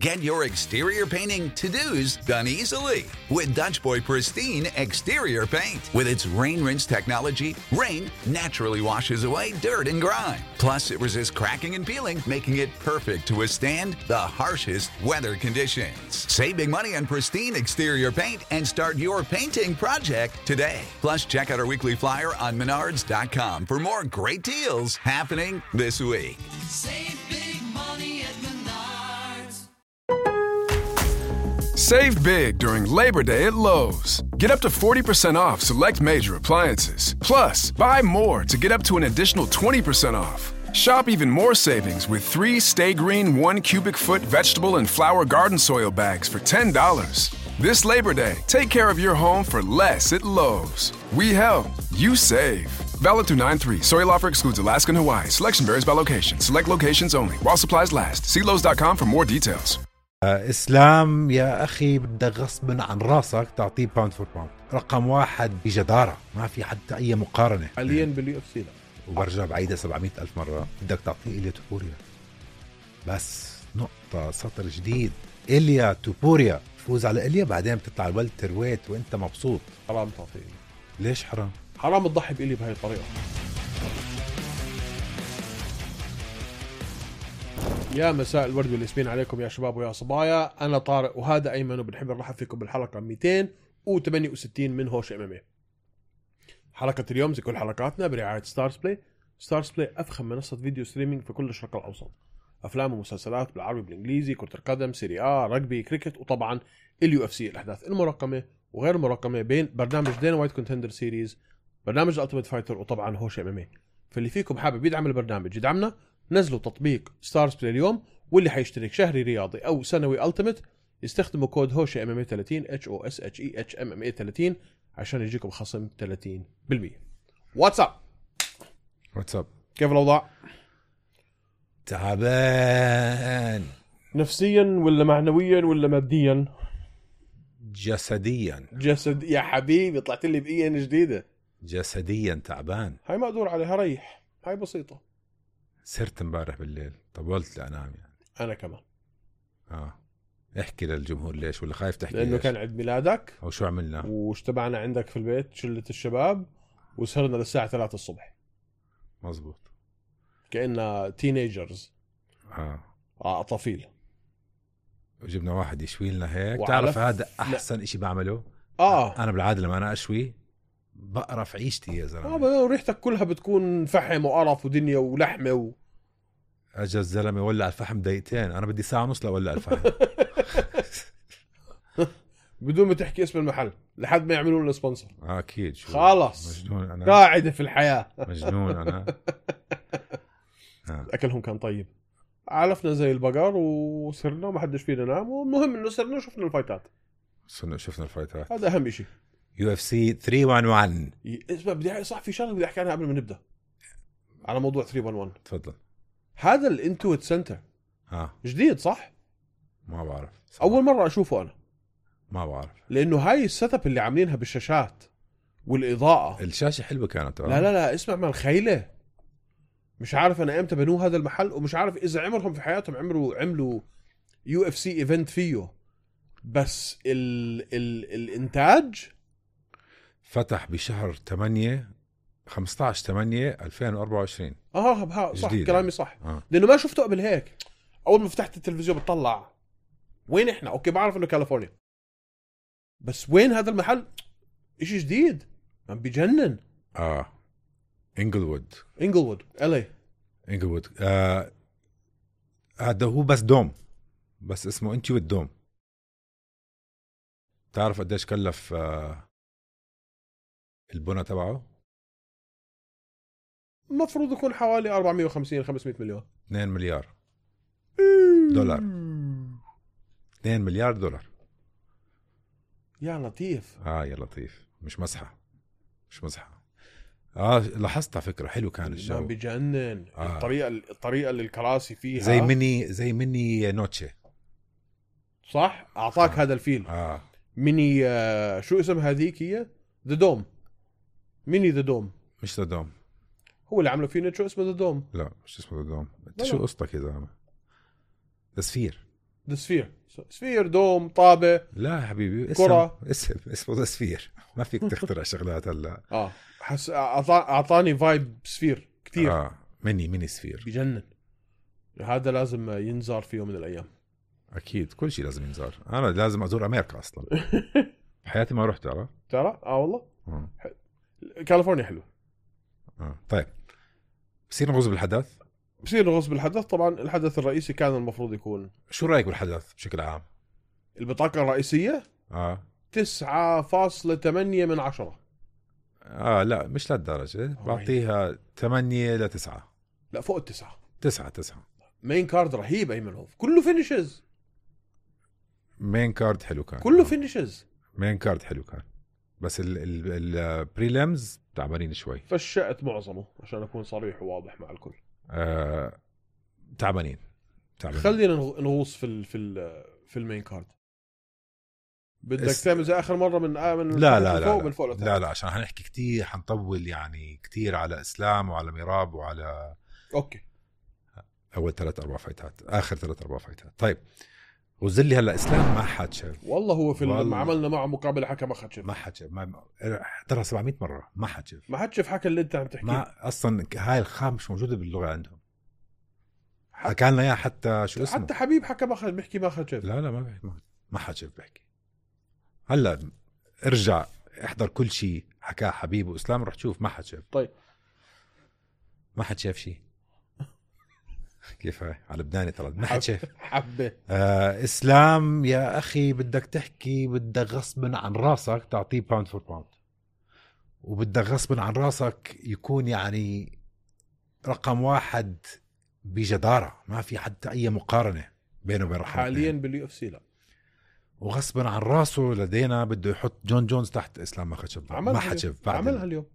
Get your exterior painting to-dos done easily with Dutch Boy Pristine Exterior Paint. With its rain-rinse technology, rain naturally washes away dirt and grime. Plus, it resists cracking and peeling, making it perfect to withstand the harshest weather conditions. Save big money on Pristine Exterior Paint and start your painting project today. Plus, check out our weekly flyer on Menards.com for more great deals happening this week. Save big money at Menards. Save big during Labor Day at Lowe's. Get up to 40% off select major appliances. Plus, buy more to get up to an additional 20% off. Shop even more savings with 3 Stay Green 1 cubic foot vegetable and flower garden soil bags for $10. This Labor Day, take care of your home for less at Lowe's. We help, you save. Valid through 9/3. Soil offer excludes Alaska and Hawaii. Selection varies by location. Select locations only. While supplies last. See Lowe's.com for more details. إسلام يا أخي بدك غصبا عن راسك تعطيه باوند فور باوند رقم 1 بجدارة، ما في حتى أي مقارنة حاليا باليو اف سي. وبرجع بعيدها 700,000 مرة. بدك تعطيه إليا توبوريا، بس نقطة سطر جديد. إليا توبوريا، فوز على إليا بعدين بتطلع الولتر ويت وإنت مبسوط. حرام تعطيه. ليش حرام؟ حرام تضحي بإلي بهاي الطريقة. يا مساء الورد والياسمين عليكم يا شباب ويا صبايا. أنا طارق وهذا أيمن، وبنحب نرحب فيكم بالحلقة 268 من هوش MMA. حلقة اليوم زي كل حلقاتنا برعاية ستارز بلاي. ستارز بلاي أفخم منصة فيديو ستريمينج في كل الشرق الأوسط. أفلام ومسلسلات بالعربي بالإنجليزي، كرة القدم، سيري آ، رجبي، كريكت، وطبعا اليو اف سي، الأحداث المرقمة وغير المرقمة، بين برنامج دينا وايت كونتندر سيريز، برنامج الألتيميت فايتر، وطبعا هوش MMA. فاللي فيكم حابب يدعم البرنامج يدعمنا، نزلوا تطبيق ستارز بلاي اليوم، واللي حيشترك شهري رياضي أو سنوي ألتيميت يستخدموا كود هوش MMA 30 HOSHEH MMA 30 عشان يجيكم خصم 30%. واتساب كيف الأوضاع؟ تعبان نفسيا ولا معنويا ولا ماديا؟ جسديا. جسد يا حبيبي، طلعت لي بقية جديدة. جسديا تعبان. هاي ما أدور عليها، ريح، هاي بسيطة. سرت امبارح بالليل، طولت لأنام يعني. أنا كمان. احكي للجمهور ليش، ولا خايف تحكي؟ لأنه ليش؟ كان عيد ميلادك. أو شو عملنا؟ واشتبعنا عندك في البيت شلة الشباب، وسهرنا للساعة 3 الصبح. مزبوط. كأننا تينيجرز. أطفيل. وجبنا واحد يشوي لنا هيك. وعلف... تعرف هذا أحسن إشي بعمله. أنا بالعادة لما أنا أشوي بقرف عيشتي يا زلمة. وريحتك كلها بتكون فحم وقرف ودنيا ولحمة أجا الزلمة ولع الفحم دقيقتين، أنا بدي ساعة ونص لأولع الفحم. بدون ما تحكي اسم المحل لحد ما يعملوا لنا سبونسر. أكيد. خلاص مجنون أنا. قاعدة في الحياة. مجنون أنا. أكلهم كان طيب، علفنا زي البقر وسرنا وما حدش فينا نام، والمهم إنه سرنا وشفنا الفايتات. شفنا الفايتات، هذا أهم شيء. UFC 311. اسمع، بدي صح في شغله بدي احكي عنها قبل ما نبدا على موضوع 311. تفضل. هذا الانتويت سنتر جديد صح؟ ما بعرف صح. اول مره اشوفه انا. ما بعرف، لانه هاي السيت اب اللي عاملينها بالشاشات والاضاءه، الشاشه حلوه كانت. لا اسمع، ما الخيله مش عارف انا امتى بنوه هذا المحل، ومش عارف اذا عمرهم في حياتهم عملوا UFC ايفنت فيه، بس الانتاج فتح بشهر 15/8/2024. صح كلامي صح. لانه ما شفته قبل هيك. اول ما فتحت التلفزيون بتطلع وين احنا، اوكي بعرف انه كاليفورنيا، بس وين هذا المحل؟ اشي جديد عم بيجنن. إنجلوود LA. إنجلوود. هذا هو بس دوم، بس اسمه انتويت دوم. تعرف قديش كلف البناء تبعه؟ المفروض يكون حوالي 450-500 مليون. 2 مليار دولار. 2 مليار دولار. يا لطيف. يا لطيف، مش مزحة. لاحظت على فكرة حلو كان الجو. بيجنن. الطريقة اللي الكراسي فيها زي مني نوتشي. صح، اعطاك هذا الفيل. ميني شو اسم هذيك؟ هي ذا دوم. ميني ذا دوم، مش ذا دوم. هو اللي عملوا فيه شو اسمه ذا دوم. لا مش اسمه ذا دوم. انت شو قصتك يا زلمه؟ ذا ذا سفير، سفير دوم طابة لا يا حبيبي، كرة. اسمه ذا سفير. ما فيك تخترع شغلات هلا. اعطاني فايب سفير كتير. ميني سفير بجنن. هذا لازم ينزار في يوم من الايام. اكيد، كل شيء لازم ينزار. انا لازم ازور امريكا اصلا. بحياتي ما رحت. ترى والله آه. كاليفورنيا حلو. طيب بصير نغوص بالحدث. نغوص بالحدث. طبعا الحدث الرئيسي كان المفروض يكون، شو رايك بالحدث بشكل عام؟ البطاقة الرئيسية 9.8 من 10. لا مش لهالدرجة، بعطيها 8 ل 9. لا فوق 9. 9. مين كارد رهيب ايمنوف، كله فينيشز. مين كارد حلو كان، كله فينيشز. مين كارد حلو كان، بس البريلمز تعبانين شوي. فشأت معظمه عشان اكون صريح وواضح مع الكل. تعبانين. خلينا نغوص في المين كارد. بدك تعمل زي اخر مره من لا عشان هنحكي كتير، حنطول يعني كتير على اسلام وعلى ميراب وعلى اوكي اول 3-4 فايتات، اخر 3-4 فايتات. طيب وزلي هلا اسلام ما حد شاف والله. هو في لما عملنا معه مقابله حكى ما حد شاف. ترى 700 مره ما حد شاف. حكى اللي انت عم تحكيه. ما اصلا هاي الخام مش موجوده باللغه عندهم. حكى لنا اياها حتى شو اسمه، حتى حبيب حكى بيحكي ما حد شاف. لا ما حد شاف بيحكي. هلا ارجع احضر كل شيء حكاه حبيب واسلام، رح تشوف ما حد شاف. طيب ما حد شاف شيء. كيف هاي على لبناني ترى ما حد شاف. حبه. اسلام يا اخي بدك تحكي، بدك غصبا عن راسك تعطيه باوند فور باوند، وبدك غصبا عن راسك يكون يعني رقم 1 بجدارة. ما في حتى اي مقارنة بينه وبين رقم حاليا باليو اف سي. لا وغصبا عن راسه لدينا بده يحط جون جونز تحت اسلام ما خشب. ما حشف بعد عملها اليوم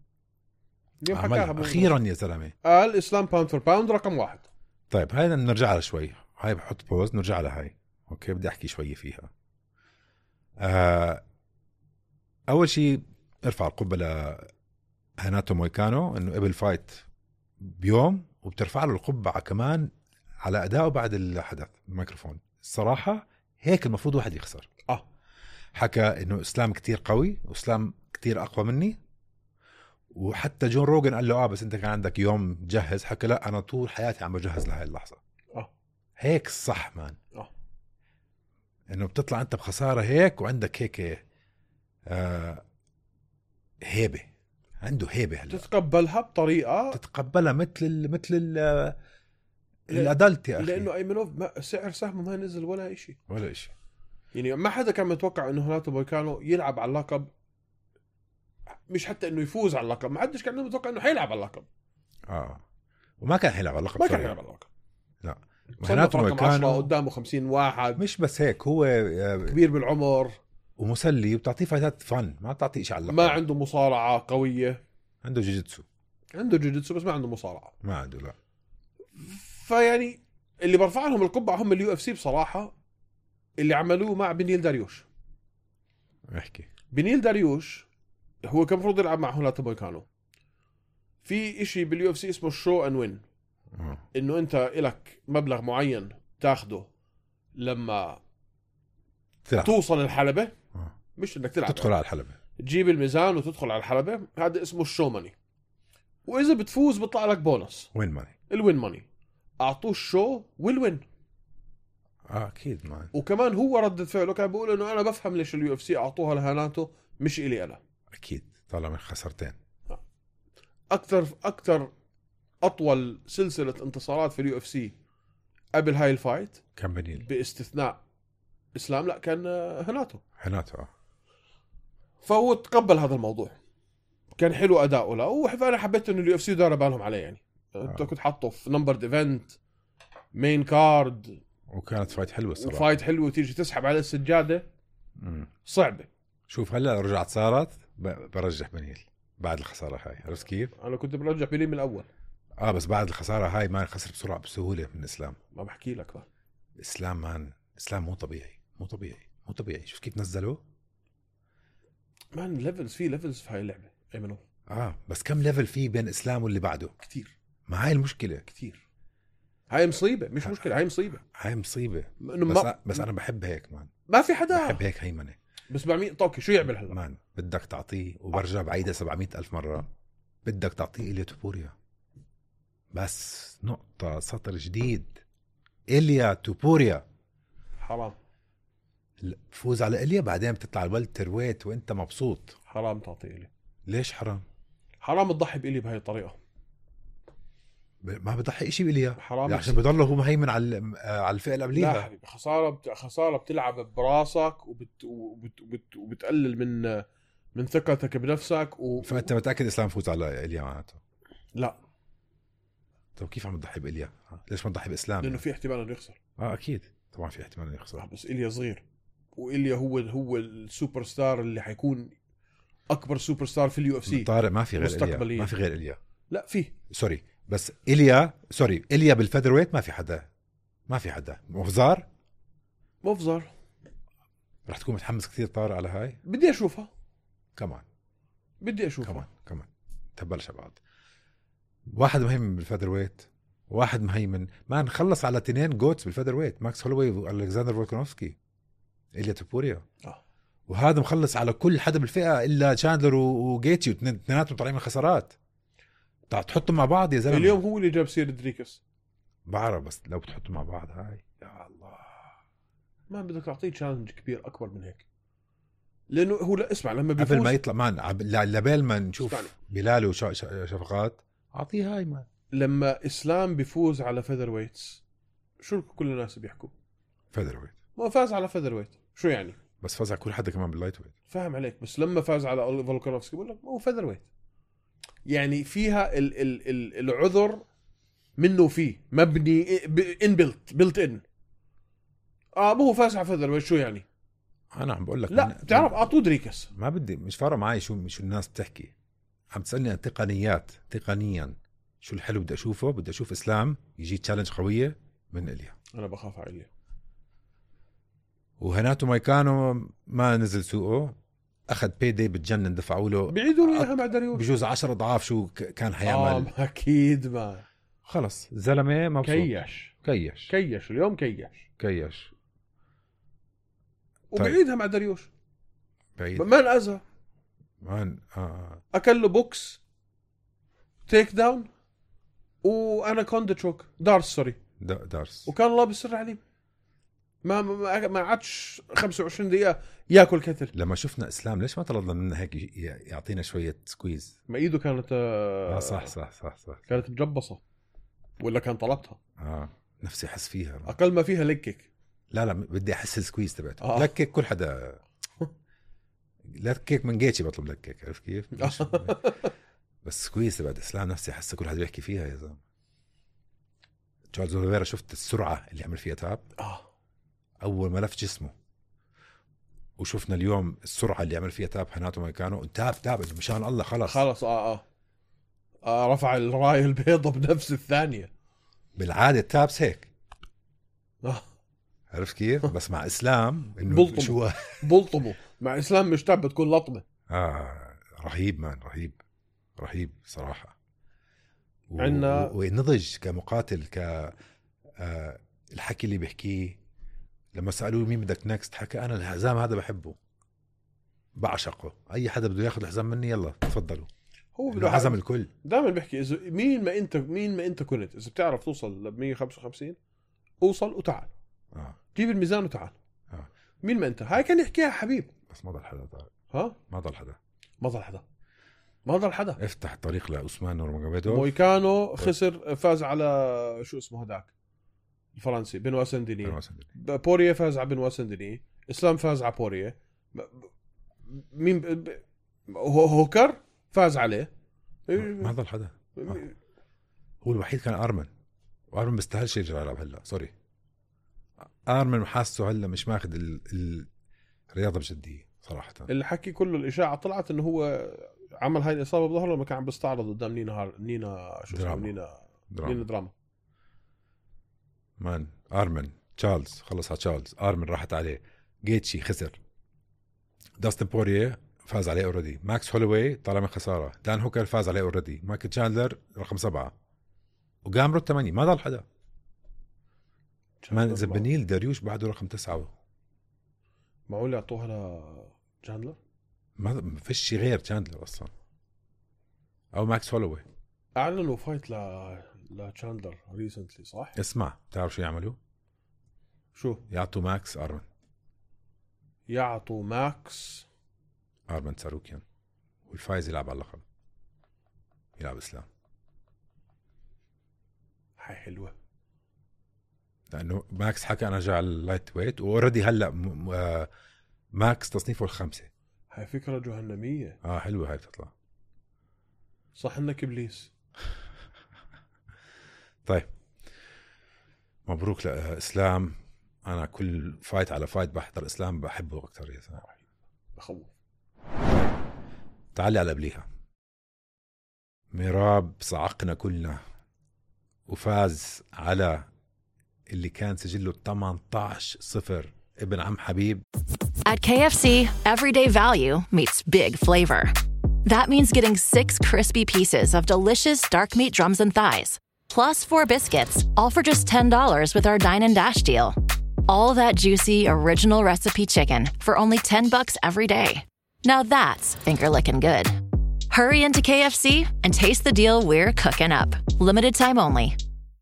حكاها اخيرا يا زلمه. قال اسلام باوند فور باوند رقم 1. طيب هاي نرجع لها شوي، هاي بحط بوز نرجع لها هاي. اوكي بدي احكي شوي فيها. اول شيء ارفع القبه لهناتو مويكانو انه قبل فايت بيوم، وبترفع له القبعه كمان على ادائه بعد الحدث الميكروفون. الصراحه هيك المفروض واحد يخسر. حكى انه اسلام كتير قوي واسلام كتير اقوى مني، وحتى جون روغن قال له بس انت كان عندك يوم تجهز. حكى لا انا طول حياتي عم بجهز لهي اللحظه. هيك الصح مان. انه بتطلع انت بخساره هيك وعندك هيك هيبه. عنده هيبه هلا تتقبلها بطريقه تتقبلها مثل الادلت يا اخي. لانه ايمنوف سعر سهمه ما نزل ولا إشي. يعني ما حدا كان متوقع انه هناتو مويكانو يلعب على اللقب، مش حتى انه يفوز على اللقب. ما حدش كان متوقع انه حيلعب على اللقب. وما كان حيلعب على اللقب. ما كان حيلعب على اللقب. لا هناتو مويكانو قدامه 50 واحد. مش بس هيك، هو كبير بالعمر ومسلي وبتعطيه فايتات فن، ما بتعطيه شيء على اللقب. ما عنده مصارعه قويه. عنده جوجيتسو. بس ما عنده مصارعه. ما عنده. لا فيعني اللي برفع لهم القبعه هم اليو اف سي بصراحه، اللي عملوه مع بنيل داريوش. احكي. بنيل داريوش هو كان المفروض يلعب مع هناتو مويكانو. في اشي باليو اف سي اسمه شو ان وين، انه انت إلك مبلغ معين تاخده لما تلعب. توصل الحلبة. مش انك تلعب، تدخل على الحلبة، تجيب الميزان وتدخل على الحلبة. هذا اسمه الشو ماني. واذا بتفوز بيطلع لك بونص وين ماني. الوين ماني. اعطوه الشو والوين. اكيد مان. وكمان هو ردة فعله كان بيقول انه انا بفهم ليش اليو اف سي اعطوها لهاناتو مش الي انا. اكيد طالما من خسرتين. اكثر اطول سلسلة انتصارات في اليو اف سي قبل هاي الفايت كان بنيل باستثناء اسلام. لا كان هناتو. فهو تقبل هذا الموضوع. كان حلو اداؤه له، وانا حبيت انه اليو اف سي دار بالهم عليه. يعني انت كنت حاطه في نمبر ايفنت مين كارد، وكانت فايت حلوه الصراحه. فايت حلوه تيجي تسحب على السجاده صعبه. شوف هلا رجعت صارت برجح بنيل بعد الخساره هاي. عرفت كيف؟ انا كنت برجح بنيل من الاول. بس بعد الخساره هاي ما خسر بسرعه بسهوله من اسلام. ما بحكي لك بقى. اسلام مو طبيعي. شوف كيف نزلوه مان. ليفلز في هاي اللعبه ايمنو. بس كم ليفل فيه بين اسلام واللي بعده؟ كتير. ما هاي المشكله. كتير. هاي مصيبه، مش مشكله، هاي مصيبه. هاي مصيبه. إنه بس انا بحب هيك مان، ما في حدا بحب هيك هيمنه بس بعمل طوكي شو يعمل هلا مان. بدك تعطيه، وبرجع بعيدها 700,000 مرة، بدك تعطيه إيليا توبوريا. بس نقطة سطر جديد، إيليا توبوريا. حرام فوز على إيليا بعدين بتطلع الولتر ويت وانت مبسوط. حرام تعطي إلي. ليش حرام؟ حرام تضحي بإلي بهاي الطريقة. ما بضحي إشي بإيليا حرام عشان بضله هو مهيمن على الفئة اللي لا قبليها. حبيبي، خسارة بتلعب براسك وبتقلل من ثقتك بنفسك فأنت متأكد إسلام فوز على إيليا معناته؟ لا. طب كيف عم تضحي بإيليا؟ ليش ما تضحي بإسلام؟ لأنه في احتمال انه يخسر. أكيد طبعا في احتمال انه يخسر. بس إليا صغير، وإليا هو السوبر ستار اللي حيكون أكبر سوبر ستار في اليو اف سي. طارق ما في غير مستقبليا. إيليا، ما في غير إيليا. لا فيه سوري، بس إيليا بالفيذر ويت ما في حدا. مفزر. رح تكون متحمس كثير طارق على هاي. بدي أشوفها كمان كمان تبلش بعض. واحد مهيمن بالفيذر ويت، واحد مهيمن ما نخلص على 2 جوتس بالفيذر ويت، ماكس هولوي والكسندر فولكانوفسكي، إيليا توبوريا. وهذا مخلص على كل حدا بالفئة إلا تشاندلر وجيتشي، واثنيناتهم طالعين من خسارات. تحطهم مع بعض يا زلمة. اليوم هو اللي جاب سير دريكس. بعرف، بس لو بتحطهم مع بعض هاي يا الله، ما بدك تعطيه تشالنج كبير أكبر من هيك، لأنه هو لا اسمع لما بيفوز قبل ما يطلع مان لبال ما نشوف اسمعني. بلال وشفقات أعطيه هاي مان. لما إسلام بيفوز على فيذر ويتس شو كل الناس بيحكوا؟ فيذر ويت. ما فاز على فيذر ويت، شو يعني؟ بس فاز على كل حدا كمان باللايت ويت. فاهم عليك، بس لما فاز على فولكانوفسكي بقول لك هو فيذر ويت. يعني فيها العذر منه فيه مبني بيلت ان. مو فاز على فيذر ويت شو يعني؟ أنا عم بقول لك لا بتعرف أعطوه دريكس. ما بدي، مش فارق معي شو الناس بتحكي. عم تسألني عن تقنيا شو الحلو بدي أشوفه. بدي أشوف إسلام يجي تشالنج قوية من إليا. أنا بخاف على إليا. وهناتو مايكانو ما نزل سوقه، أخذ بيدي بتجنن، دفعوا له بيعيدوا له إياها مع داريوش بجوز 10 أضعاف شو كان حيعمل. أكيد ما خلص زلمة مبسوط. كيش اليوم كيش وبعيدها مع داريوش بعيد ما نأذى. مان. أكل له بوكس تيك داون وأنا كوندا تشوك دارس وكان الله بالسر عليم. ما عادش 25 دقيقة ياكل كتل. لما شفنا إسلام ليش ما طلبنا منه هيك يعطينا شوية سكويز؟ ما إيده كانت صح كانت مجبصة ولا كان طلبتها. نفسي أحس فيها أقل ما فيها لكك. لا بدي أحس السكويز تبعته. لكك كل حدا لكك من جيتشي بطلب لكك، عرف كيف؟ بس سكويز تبعت إسلام نفسي أحس كل حدا بيحكي فيها يا زلمة. تشارلز أوليفيرا شفت السرعة اللي عمل فيها تاب أول ما لف جسمه، وشفنا اليوم السرعة اللي عمل فيها تاب هناتو مايكانو. تاب مشان الله خلص رفع الراية البيضة بنفس الثانية. بالعادة تابس هيك عرفت كيف؟ بس مع إسلام إنه بلطمه مع إسلام مش تاب بتكون لطمة. رهيب مان، رهيب صراحة. عنا ونضج كمقاتل، الحكي اللي بيحكيه لما سألوه مين بدك نكست، حكى أنا الحزام هذا بحبه بعشقه، أي حدا بده ياخذ الحزام مني يلا تفضلوا. هو بده حزم الكل. دائما بيحكي إذا مين ما أنت كنت، إذا بتعرف توصل ل 155 اوصل وتعال. جيب الميزان وتعال. مين ما أنت. هاي كان يحكيها حبيب، بس ما ضل حدا طارق. ما ضل حدا. افتح الطريق لعثمان نورماغوميدوف. مويكانو خسر، فاز على شو اسمه هداك الفرنسي بنوا سنديني. بوريه فاز على بنوا سنديني. إسلام فاز على بوريه. مين هوكر فاز عليه. ما ضل حدا. هو الوحيد كان أرمن، وأرمن بيستاهلش يرجع يلعب هلا. سوري أرمن حاسه هلا مش ماخذ الرياضة بجدية صراحة. اللي حكي كله الإشاعة طلعت إنه هو عمل هاي الإصابة بظهره لما كان عم بيستعرض قدام نينا شو اسمه نينا دراما. مان أرمن تشارلز خلص على تشارلز. أرمن راحت عليه. جيتشي خسر. داستن بوريه فاز عليه اوريدي. ماكس هولوي طلع من خسارة. دان هوكر فاز عليه اوريدي. مايكل تشاندلر رقم 7 وجامرو 8. ما ضل حدا. مان زبنيل داريوش بعده رقم 9. معقول يعطوها لجاندلر؟ ما فيش شي غير تشاندلر اصلا او ماكس هولوي. اعلنوا فايت لتشاندلر ريسنتلي صح؟ اسمع بتعرف شو يعملوا؟ شو يعطوا ماكس يعطوا ماكس ارمن ساروكيان والفايز يلعب على اللقب، يلعب اسلام. هاي حلوه لانه ماكس حكى انا جاي على اللايت ويت واوريدي هلا ماكس تصنيفه ال5. هاي فكره جهنميه. حلوه هاي بتطلع صح انك ابليس. طيب مبروك لاسلام. انا كل فايت على فايت بحضر اسلام بحبه اكثر يا زلمه. بخوف. تعالي على قبليها. ميراب صعقنا كلنا وفاز على اللي كان سجله 18-0 ابن عم حبيب. At KFC, everyday value meets big flavor. That means getting 6 crispy pieces of delicious dark meat drums and thighs, plus 4 biscuits, all for just $10 with our Dine and Dash deal. All that juicy, original recipe chicken for only $10 every day. Now that's finger-licking good. Hurry into KFC and taste the deal we're cooking up. Limited time only.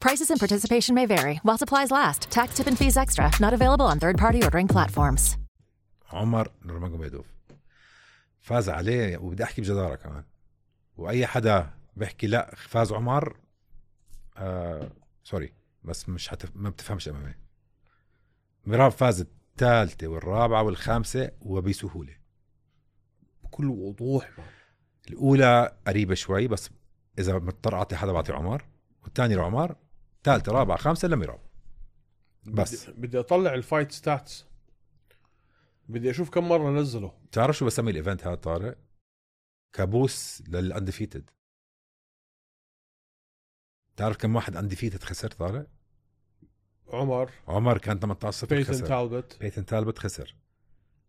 Prices and participation may vary while supplies last. Tax, tip, and fees extra. Not available on third-party ordering platforms. عمر نورماجوميدوف فاز عليه، وبدي أحكي بجدارة كمان. وأي حدا بيحكي لا فاز عمر سوري بس مش ما بتفهمش أمامي. ميراب فاز الثالثة والرابعة والخامسة وبسهولة بكل وضوح. الأولى قريبة شوي بس إذا مضطر أعطي حدا بعطي عمر، والثاني لعمر، ثالثة رابعة خامسة لميراب. بس بدي أطلع الفايت ستاتس، بدي أشوف كم مرة نزله. تعرف شو بسمي الإيفنت هذا طارق؟ كابوس للأنديفيتد. تعرف كم واحد أنديفيتد خسر طارق؟ عمر كان 18-0 خسر. بيتن تالبت خسر.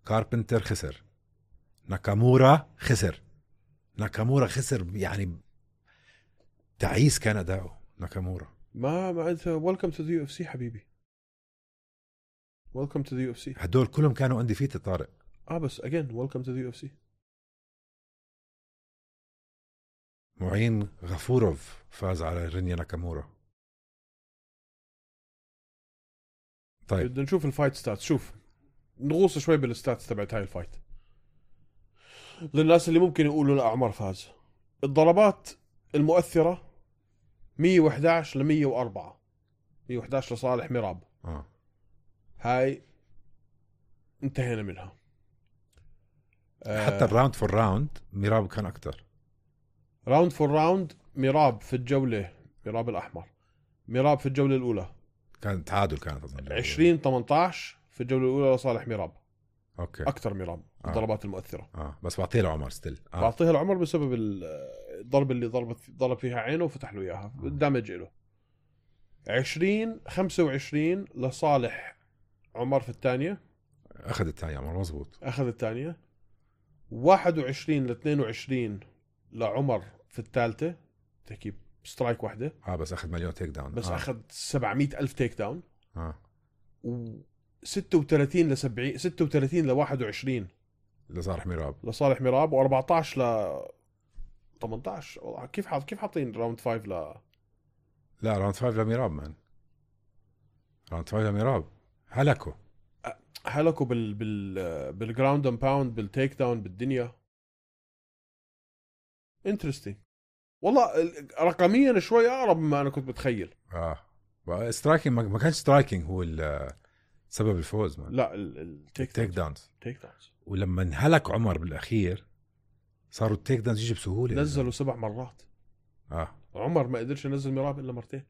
كاربنتر خسر. ناكامورا خسر يعني تعيس كان أداؤه ناكامورا. ما أنت welcome to the UFC حبيبي. welcome to the UFC. هدول كلهم كانوا undefeated طارق. بس again welcome to the UFC. معين غفوروف فاز على رينيا ناكامورا. طيب بدنا نشوف الفايت ستاتس. شوف نغوص شوي بالستاتس تبعت هاي الفايت للناس اللي ممكن يقولوا لا عمر فاز. الضربات المؤثرة 111 ل104، 111 لصالح ميراب. هاي انتهينا منها. حتى الراوند فور راوند ميراب كان أكتر. راوند فور راوند ميراب في الجولة، ميراب الأحمر، ميراب في الجولة الأولى كان تعادل، كانت 20-18 في الجولة الأولى لصالح ميراب. أوكي أكتر ميراب الضربات المؤثرة. بس بعطيها لعمر ستيل. بعطيها لعمر بسبب الضرب اللي ضرب فيها عينه وفتح له إياها، الدمج له. 20-25 لصالح عمر في الثانية. أخذ الثانية عمر، مزبوط أخذ الثانية. 21-22 لعمر في الثالثة، تحكي سترايك واحدة. بس أخذ مليون تيك داون. بس أخذ 700,000 تيك داون. و 36-70، 36-21 لصالح ميراب، و14 ل18. كيف حاطين راوند 5 لا راوند 5 لميراب مان. راوند 5 لميراب هلكوا بالجراوند اند باوند، بالتيك داون، بالدنيا. انترستينج والله. رقميا شوي اقرب مما انا كنت متخيل. سترايكينج ما كانش سترايكينج هو سبب الفوز مان. لا التيك داونز. داونز. ولما انهلك عمر بالاخير صاروا التيك داونز يجي بسهوله. نزلوا 7 مرات. عمر ما قدرش ينزل ميراب الا مرتين.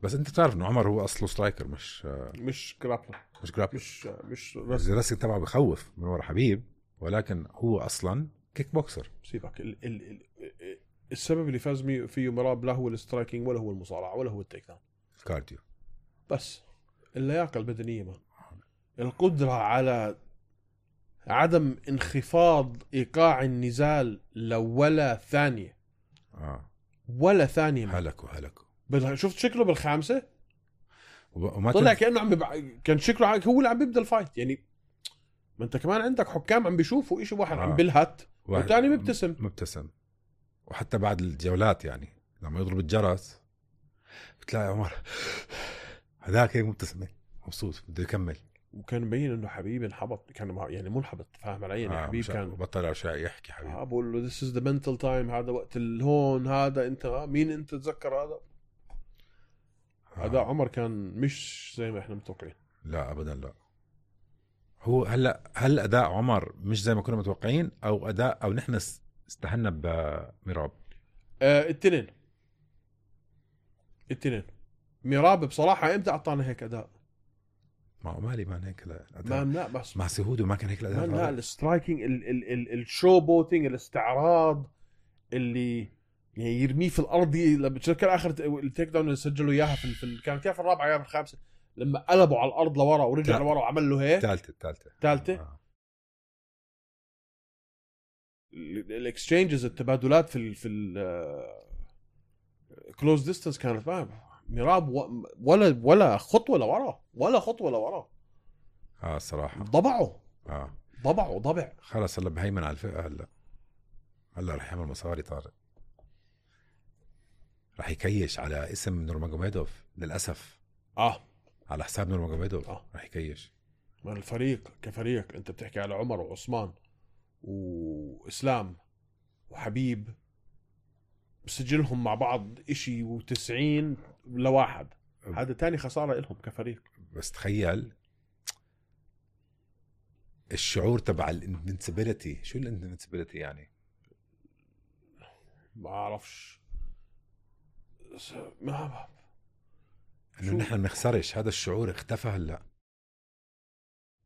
بس انت تعرف انه عمر هو اصله سترايكر، مش جرابلر. مش الرسم تبعه بخوف من ورا حبيب، ولكن هو اصلا كيك بوكسر. سيبك السبب اللي فاز فيه ميراب لا هو السترايكينج ولا هو المصارعه ولا هو التيك داون، الكارديو بس اللياقه البدنيه. ما القدره على عدم انخفاض ايقاع النزال ولا ثانيه. ولا ثانيه. هلكوا شفت شكله بالخامسه وما طلع كانه كان شكله هو اللي عم بيبدا الفايت يعني. ما انت كمان عندك حكام عم بيشوفوا شيء، واحد عم بيلهت والثاني مبتسم. وحتى بعد الجولات يعني لما يضرب الجرس بتلاقي عمر هذاك هيك مبتسم مبسوط بده يكمل. وكان مبين انه حبيب انحبط، كان يعني منحبط، فاهم علي؟ يعني حبيب كان بطل اشياء يحكي حبيب. بقول له this is the mental time، هذا وقت الهون، هذا انت مين انت تتذكر هذا. اداء عمر كان مش زي ما احنا متوقعين. لا ابدا لا. هو هل اداء عمر مش زي ما كنا متوقعين او اداء او نحن استهنا بميراب؟ التنين. ميراب بصراحه امتى اعطانا هيك اداء؟ مع مالي ما هيك الاداء. لا بس مع سهودو ما كان هيك الاداء. لا السترايكنج، الشو بوتينج، الاستعراض اللي يعني يرميه في الارض. لما بتذكر اخر التيك داون اللي سجلوا اياها في كان كيف الرابعه يا الخامسه لما قلبوا على الارض لورا ورجع لورا وعمل له هيك. ثالثه الاكسشينجز، التبادلات في كلوز ديستانس كانت ما ميراب ولا خطوه لورا. الصراحه ضبعوا ضبع. خلص هلا بهيمن على الفئه. هلا رح يعمل مصاري طارق، رح يكيش على اسم نورماجوميدوف للاسف. على حساب نورماجوميدوف رح يكيش. من الفريق كفريق انت بتحكي على عمر وعثمان واسلام وحبيب، بسجلهم مع بعض إشي 90 لواحد. هذا تاني خسارة لهم كفريق. بس تخيل الشعور تبع الانفنسبيليتي. شو الانفنسبيليتي يعني؟ ما أعرفش. إنه نحن نخسرش، هذا الشعور اختفى هلا.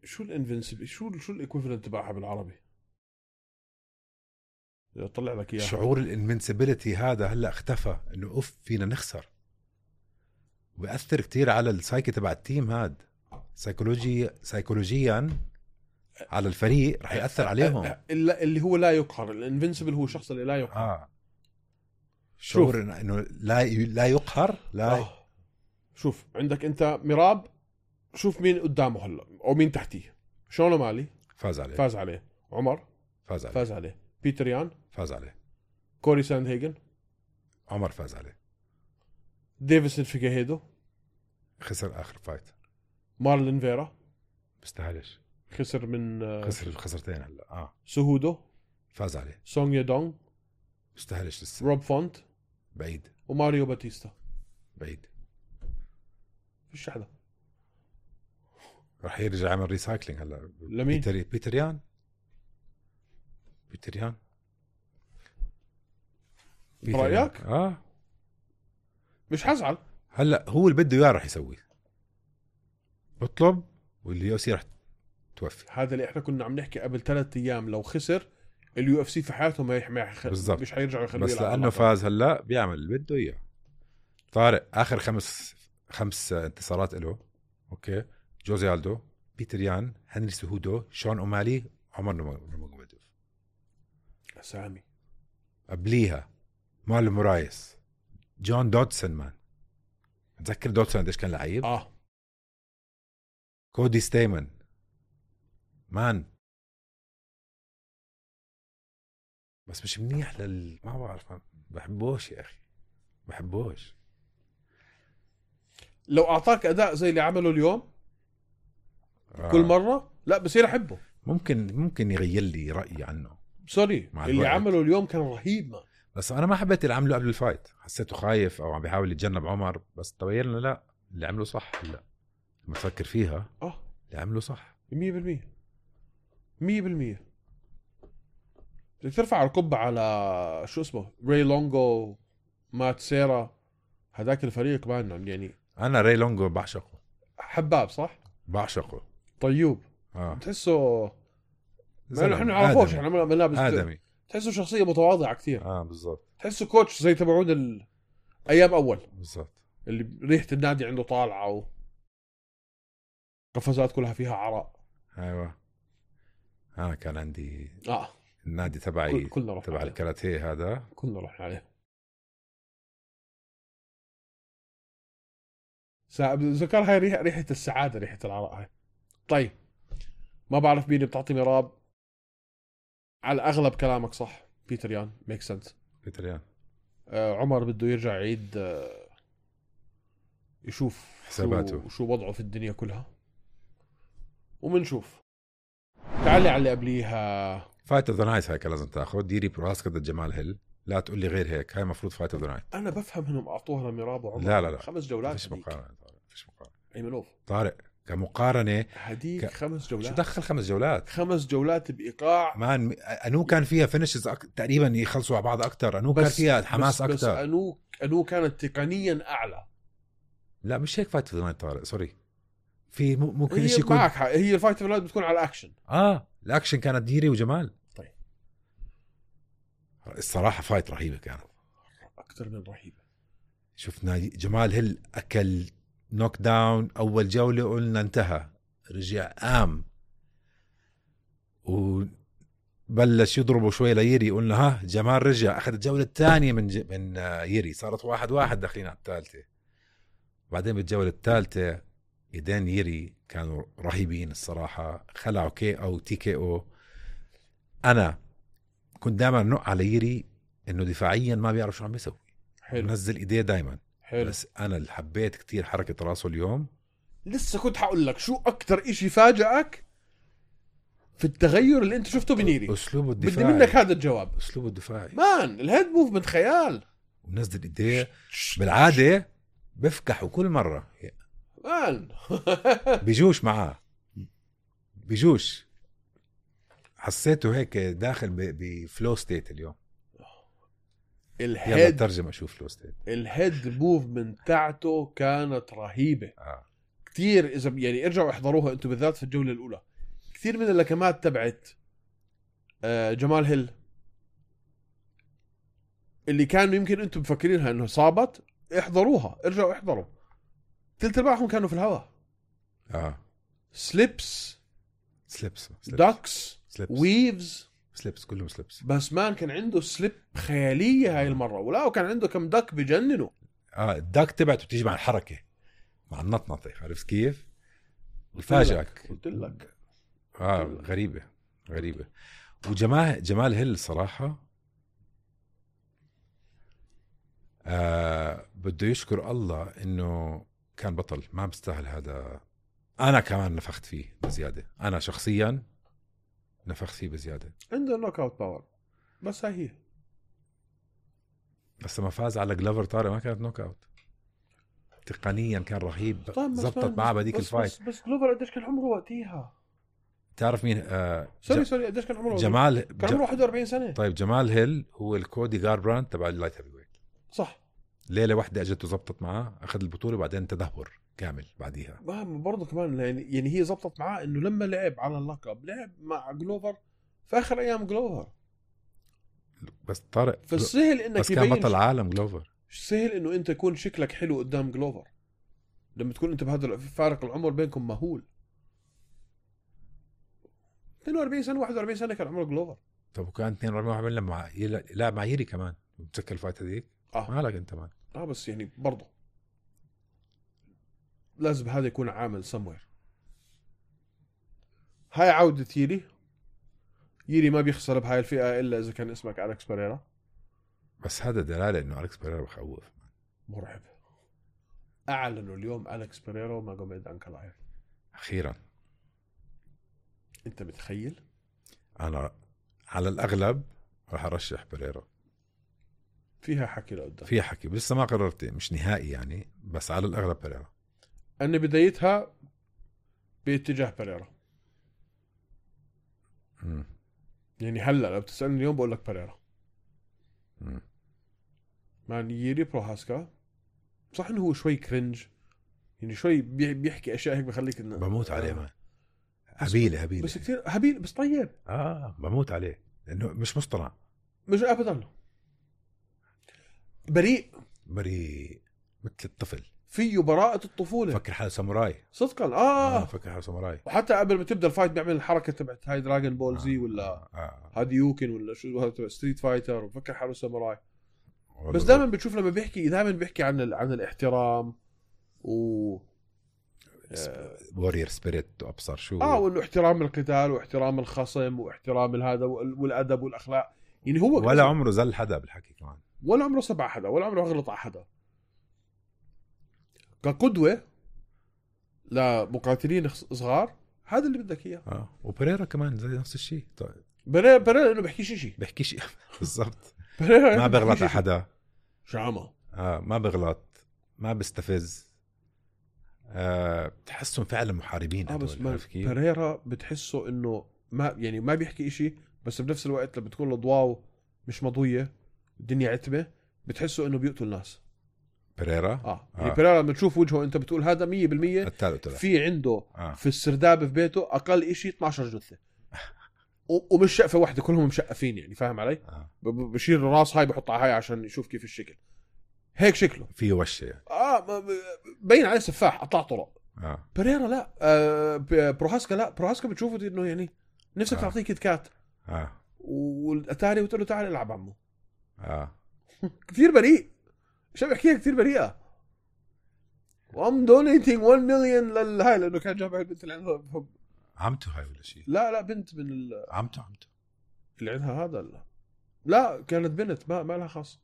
شو الانفنسبيليتي؟ شو الإيكويفالنت تبعها بالعربي؟ طلع لك اياه. شعور الانفنسبيليتي هذا هلا اختفى، انه فينا نخسر. وبيأثر كتير على السايكي تبع التيم. هاد سايكولوجيا على الفريق رح يأثر عليهم. اللي هو لا يقهر. الانفنسبل هو الشخص اللي لا يقهر. شعور انه لا يقهر. لا شوف عندك انت ميراب، شوف مين قدامه هلا او مين تحتيه. شون مالي فاز عليه. عمر فاز عليه. بيتر يان فاز عليه. كوري ساندهيجن عمر فاز عليه. ديفيسون فيجاهيدو خسر آخر فايت. مارلين فيرا بيستاهلش، خسر من خسرتين هلا. سهودو فاز عليه. سونغ يدونغ بيستاهلش لسه. روب فونت بعيد. وماريو باتيستا بعيد. فيش حدا. رح يرجع يعمل ريسايكلينج هلا. لمين؟ بيتر يان برأيك؟ مش حزعل. هلا هو اللي بده اياه رح يسوي. بطلب واللي يصير رح توفي. هذا اللي احنا كنا عم نحكي قبل 3 ايام. لو خسر اليو اف سي في حياته مش حيرجعوا يخلوه. بس لانه فاز هلا بيعمل اللي بده اياه. طارق اخر 5 انتصارات له. اوكي، جوزي ألدو، بيتر يان، هنري سهودو، شون أومالي، عمر نورماجوميدوف. اسامي قبليها مارلون مورايس، جون دودسون. مان متذكر دودسون قديش كان لعيب؟ كودي ستيمن. مان بس مش منيح ما بعرف، بحبوش يا اخي، بحبوش. لو اعطاك اداء زي اللي عمله اليوم كل مره لا بصير احبه. ممكن يغير لي رايي عنه. سوري اللي عمله اليوم كان رهيب. ما بس انا ما حبيت اللي عمله قبل الفايت. حسيته خايف او عم بيحاول يتجنب عمر. بس تبين لنا لا، اللي عمله صح. هلا لما تفكر فيها اللي عمله صح 100%. بدك ترفع القبعة على شو اسمه راي لونغو، مات سيرا، هذاك الفريق معنا. يعني انا راي لونغو بعشقه. حباب صح؟ بعشقه. طيوب. تحسه احنا نعرفوش، احنا ملابس آدمي. تحسه شخصية متواضعة كثير. بالضبط. تحسه كوتش زي تبعون ايام اول بالضبط، اللي ريحة النادي عنده طالعة وقفزات كلها فيها عرق. ايوه، انا كان عندي النادي تبعي تبع الكاراتيه هذا، كلنا رحنا عليه. ذكر هاي ريحة السعادة، ريحة العراء هاي. طيب ما بعرف مين بتعطي مراب. على الأغلب كلامك صح بيتر يان، ميك سنس. بيتر يان. عمر بده يرجع يعيد يشوف حساباته شو وضعه في الدنيا كلها، ومنشوف. تعالي على اللي قبليها. فايت اوف ذا نايت. هاي لازم تاخذ ديري براسكا ضد جمال هيل. لا تقول لي غير هيك. هاي مفروض فايت اوف ذا نايت. انا بفهم انهم اعطوها لميراب وعمر. لا 5 جولات. فيش مقارنه. فيش مقارنه ايمنوف طارق كمقارنه. هديك 5 جولات. شو دخل 5 جولات؟ 5 جولات بايقاع. مان انو كان فيها فينيشز تقريبا يخلصوا على بعض اكثر. انو كان فيها حماس اكثر. بس انو كانت تقنيا اعلى. لا مش هيك فايت اوف ذا نايت طارق، سوري. في ممكن هي شيء يكون معك حق. هي الفايت اوف بتكون على اكشن. الاكشن كانت ديري وجمال. طيب الصراحه فايت رهيبه كانت، اكثر من رهيبه. شفنا جمال هيل اكل نوك داون اول جوله، قلنا انتهى. رجع قام وبلش يضربه شوي ليري، قلنا ها جمال رجع. اخذ الجوله الثانيه من يري، صارت 1-1 داخلين على الثالثه. بعدين بالجوله الثالثه ايدين يري كانوا رهيبين الصراحه، خلعوا كي او تي كي او. انا كنت دائما نق على يري انه دفاعيا ما بيعرف شو عم يسوي. حلو. نزل ايديه دائما. حلو. بس انا اللي حبيت كتير حركه راسه اليوم. لسه كنت حقول لك شو اكتر اشي فاجأك في التغير اللي انت شفته بنيري. اسلوبه الدفاعي. بدي منك هذا الجواب. اسلوبه الدفاعي مان الهيد موفمنت خيال. ونزل ايديه بالعاده بفكحوا كل مره. مان بيجوش معاه، بيجوش. حسيته هيك داخل بفلو ستيت اليوم. يلا الهيد ترجم اشوف فلو ستيت. الهيد موفمنت تاعته كانت رهيبه. كتير. اذا يعني ارجعوا احضروها انتم بالذات في الجوله الاولى. كثير من اللكمات تبعت جمال هيل اللي كانوا يمكن انتم مفكرينها انه صابت، احضروها. ارجعوا احضروا. ثلث ارباعهم كانوا في الهواء. سليبس داكس ويفز سليبس كلهم سليبس. بس مان كان عنده سليب خياليه هاي المره. ولا وكان عنده كم دك بجننوا. الدك تبعته بتيجي مع الحركه، مع النطنطه. عرفت كيف؟ بفاجئك. قلت لك غريبه. وجمال هيل صراحه بده يشكر الله انه كان بطل. ما بستاهل هذا. انا كمان نفخت فيه بزياده. انا شخصيا نفخت فيه بزياده. عنده نوك اوت باور. بس هي بس ما فاز على جلوفر طارق ما كانت نوك اوت. تقنيا كان رهيب. زبطت معه بديك الفايت. بس جلوفر قديش كان عمره وقتها؟ تعرف مين؟ سوري قديش كان عمره؟ جمال كان عمره 41 سنه. طيب جمال هيل هو الكودي جاربراند تبع اللايت هيفي ويت. صح. ليله واحده اجته زبطت معاه، اخذ البطوله وبعدين تدهور كامل بعديها. برضه كمان يعني هي زبطت معاه انه لما لعب على اللقب لعب مع جلوفر في اخر ايام جلوفر. بس طارق فالسهل انك بس كان بطل عالم جلوفر. سهل انه انت يكون شكلك حلو قدام جلوفر لما تكون انت بهذا فارق العمر بينكم مهول. 42 سنه 41 سنه كان عمره جلوفر. طب وكان 42 لما لا مع يري كمان متذكر الفايت هذيك. مالك انت مان. بس يعني برضه لازم هذا يكون عامل سموير. هاي عودة يري ما بيخسر بهاي الفئة إلا إذا كان اسمك أليكس بيريرا. بس هذا دلالة إنه أليكس بيريرا بخوف. مرعب. أعلنوا اليوم أليكس بيريرا وماجوميد أنكلايف. أخيرا. أنت متخيل؟ أنا على الأغلب راح أرشح بيريرا. فيها حكي لقدام. فيها حكي لسه ما قررت، مش نهائي يعني، بس على الأغلب بيريرا. أن بدايتها باتجاه بيريرا. يعني هلا لو بتسألني اليوم بقول لك بيريرا. مع ييري بروهاسكا صح انه هو شوي كرنج، يعني شوي بيحكي اشياء هيك بخليك انه بموت عليه ما هبيله بس كثير هبيل بس طيب. بموت عليه لانه مش مصطنع، مش ابدا. بريء مثل الطفل، فيه براءة الطفولة. فكر حاله ساموراي صدقا. فكر حاله ساموراي. وحتى قبل ما تبدا الفايت بيعمل الحركه تبعت هاي دراغون بول زي ولا هادي يوكن ولا شو هذا ستريت فايتر، وفكر حاله ساموراي. بس دائما بتشوف لما بيحكي دائما بيحكي عن الاحترام وورير سبيريت وابصر شو وانه احترام القتال واحترام الخصم واحترام هذا والادب والاخلاق. يعني هو ولا عمره زل حدا بالحكي كمان، ولا عمره سبع حدا، ولا عمره غلط على حدا. كقدوة لمقاتلين صغار هذا اللي بدك اياه. وبريرا كمان زي نفس الشيء. طيب بريرا انه بيحكي شيء بالضبط. بريرا ما بغلط على حدا، شعمة ما بغلط، ما بيستفز. بتحسهم فعلا محاربين. بس بريرا بتحسه انه ما بيحكي اشي، بس بنفس الوقت لما بتكون الاضواء مش مضوية الدنيا عتمة بتحسه انه بيقتل الناس. بريرا يعني بريرا لما تشوف وجهه انت بتقول هذا 100% في عنده في السرداب في بيته اقل اشي 12 جثة ومش شقفة واحدة، كلهم مشقفين يعني، فاهم علي؟ بشيل الراس هاي بحطها هاي عشان يشوف كيف الشكل، هيك شكله فيه وشة يعني. بين عليه سفاح قطع طرق. بريرا لا. بروهاسكا لا، بروهاسكا بتشوفه انه يعني نفسك تعطيه كيت كات والاتاري وتقول له تعال العب عمو. كثير بريء، شو بحكيها كثير بريئة. وام دونيتينج 1 مليون للهاي لانه كان جاب البنت اللي عندها عمته هاي ولا شيء؟ لا بنت من عمته اللي عندها هذا. لا كانت بنت ما لها خاص،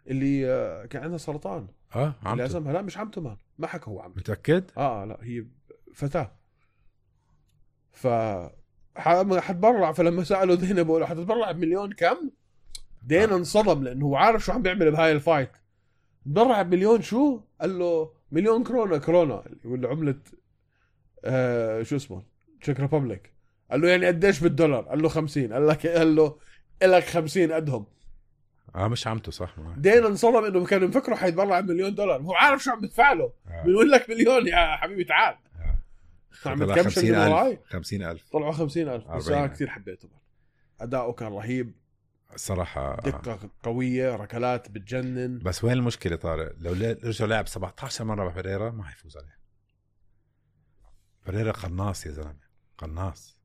اللي كان عندها سرطان. اللي عزمها لا مش عمته ما حكى هو عمته. متأكد؟ لا هي فتاة. حتبرع. فلما سألوا دينا بقولوا حتتبرع بمليون كم؟ دينا انصدم لأنه هو عارف شو عم بيعمل بهاي الفايت. تبرع بمليون شو؟ قال له مليون كورونا ولا عملة شو اسمه تشيك ريبابليك. قال له يعني قديش بالدولار؟ قال له 50. قال له إلك 50 قدهم. مش عمته صح. دينا انصدم انه كان مفكره حيتبرع $1,000,000. هو عارف شو عم بدفع له. بيقول لك مليون يا حبيبي تعال. عمل كم 50,000 طلعوا 50,000. بس انا كثير حبيته، اداؤه كان رهيب الصراحة. دقة قوية، ركلات بتجنن. بس وين المشكلة طارق؟ لو رجع لعب 17 مرة بفريرا ما حيفوز عليه. فريرا قناص يا زلمة، قناص.